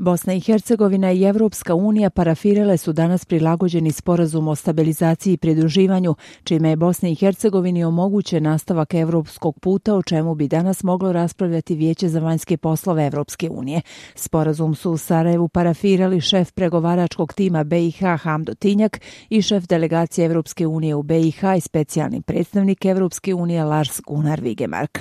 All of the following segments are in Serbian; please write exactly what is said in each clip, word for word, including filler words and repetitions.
Bosna i Hercegovina i Evropska unija parafirale su danas prilagođeni sporazum o stabilizaciji i pridruživanju, čime je Bosni i Hercegovini omogućen nastavak evropskog puta, o čemu bi danas moglo raspravljati Vijeće za vanjske poslove Evropske unije. Sporazum su u Sarajevu parafirali šef pregovaračkog tima B i H Hamdo Tinjak i šef delegacije Evropske unije u B i H i specijalni predstavnik Evropske unije Lars Gunnar Vigemark.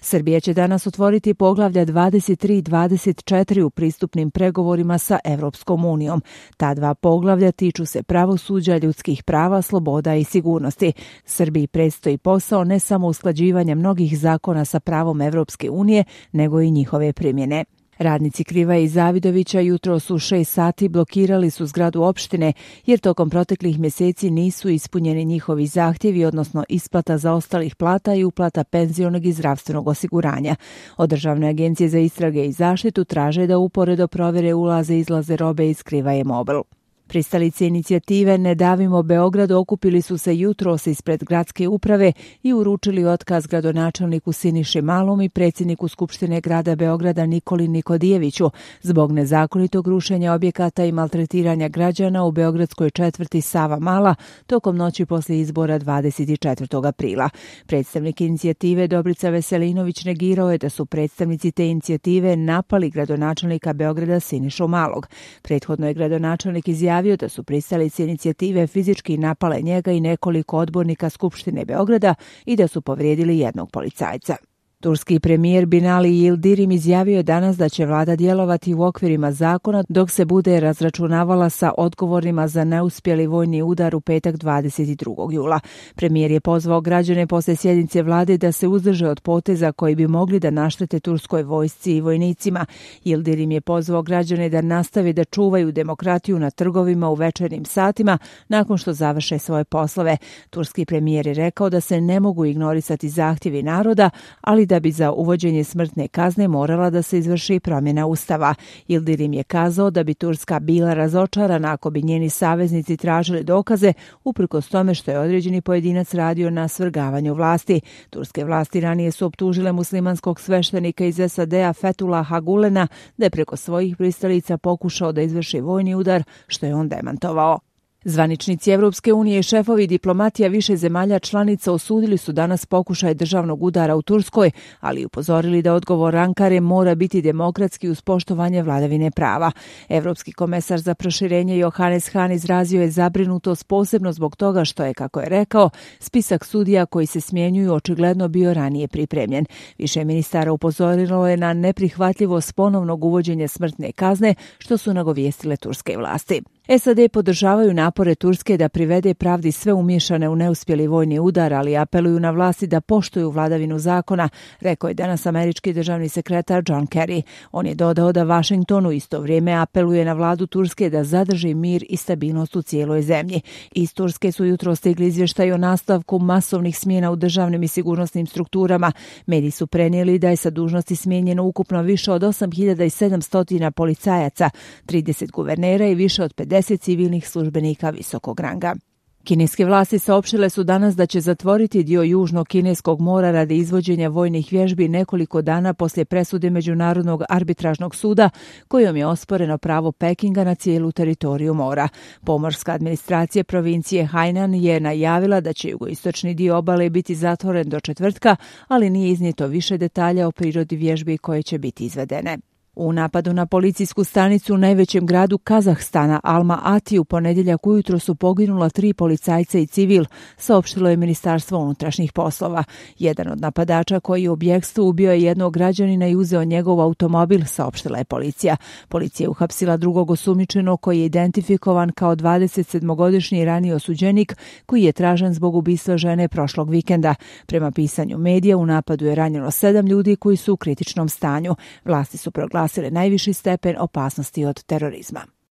Srbija će danas otvoriti poglavlja dvadeset tri i dvadeset četiri u pristupnim pregovorima sa Evropskom unijom. Ta dva poglavlja tiču se pravosuđa, ljudskih prava, sloboda i sigurnosti. Srbiji predstoji posao ne samo usklađivanja mnogih zakona sa pravom Evropske unije, nego i njihove primjene. Radnici Krivaje i Zavidovića jutros u šest sati blokirali su zgradu opštine jer tokom proteklih mjeseci nisu ispunjeni njihovi zahtjevi, odnosno isplata zaostalih plata i uplata penzionog i zdravstvenog osiguranja. Od Državne agencije za istrage i zaštitu traže da uporedo provjere ulaze i izlaze robe iz Krivaje Mobil. Pristalice inicijative Ne davimo Beograd okupili su se jutros ispred gradske uprave i uručili otkaz gradonačelniku Siniši Malom i predsjedniku Skupštine grada Beograda Nikoli Nikodijeviću zbog nezakonitog rušenja objekata i maltretiranja građana u beogradskoj četvrti Sava Mala tokom noći poslije izbora dvadeset četvrtog aprila. Predstavnik inicijative Dobrica Veselinović negirao je da su predstavnici te inicijative napali gradonačelnika Beograda Sinišu Malog. Prethodno je gradonačelnik izjavio da su pristalice inicijative fizički napale njega i nekoliko odbornika Skupštine Beograda i da su povrijedili jednog policajca. Turski premijer Binali Yildirim izjavio je danas da će vlada djelovati u okvirima zakona dok se bude razračunavala sa odgovornima za neuspjeli vojni udar u petak dvadeset drugog jula. Premijer je pozvao građane poslije sjednice vlade da se uzdrže od poteza koji bi mogli da naštete turskoj vojsci i vojnicima. Yildirim je pozvao građane da nastave da čuvaju demokratiju na trgovima u večernjim satima nakon što završe svoje poslove. Turski premijer je rekao da se ne mogu ignorisati zahtjevi naroda, ali da da bi za uvođenje smrtne kazne morala da se izvrši promjena ustava. Yildirim je kazao da bi Turska bila razočarana ako bi njeni saveznici tražili dokaze uprkos tome što je određeni pojedinac radio na svrgavanju vlasti. Turske vlasti ranije su optužile muslimanskog sveštenika iz S A D-a Fethullaha Gulena da je preko svojih pristalica pokušao da izvrši vojni udar, što je on demantovao. Zvaničnici Evropske unije i šefovi diplomatija više zemalja članica osudili su danas pokušaj državnog udara u Turskoj, ali upozorili da odgovor Ankare mora biti demokratski uz poštovanje vladavine prava. Evropski komesar za proširenje Johannes Hahn izrazio je zabrinutost posebno zbog toga što je, kako je rekao, spisak sudija koji se smjenjuju očigledno bio ranije pripremljen. Više ministara upozorilo je na neprihvatljivost ponovnog uvođenja smrtne kazne, što su nagovijestile turske vlasti. S A D podržavaju napore Turske da privede pravdi sve umiješane u neuspjeli vojni udar, ali apeluju na vlasti da poštuju vladavinu zakona, rekao je danas američki državni sekretar John Kerry. On je dodao da Washington u isto vrijeme apeluje na vladu Turske da zadrži mir i stabilnost u cijeloj zemlji. Iz Turske su jutro stigli izvještaj o nastavku masovnih smjena u državnim i sigurnosnim strukturama. Mediji su prenijeli da je sa dužnosti smijenjeno ukupno više od osam hiljada sedamsto policajaca, trideset guvernera i više od pedeset civilnih službenika visokog ranga. Kineske vlasti saopštile su danas da će zatvoriti dio južnog kineskog mora radi izvođenja vojnih vježbi nekoliko dana poslije presude Međunarodnog arbitražnog suda kojom je osporeno pravo Pekinga na cijelu teritoriju mora. Pomorska administracija provincije Hainan je najavila da će jugoistočni dio obale biti zatvoren do četvrtka, ali nije iznijeto više detalja o prirodi vježbi koje će biti izvedene. U napadu na policijsku stanicu u najvećem gradu Kazahstana, Alma-Ati, u ponedjeljak ujutro su poginula tri policajca i civil, saopštilo je Ministarstvo unutrašnjih poslova. Jedan od napadača koji je u bjegstvu ubio je jednog građanina i uzeo njegov automobil, saopštila je policija. Policija je uhapsila drugog osumnjičenog koji je identifikovan kao dvadesetsedmogodišnji raniji osuđenik koji je tražen zbog ubistva žene prošlog vikenda. Prema pisanju medija, u napadu je ranjeno sedam ljudi koji su u kritičnom stanju. Vlasti su proglasile najviši stepen opasnosti od terorizma.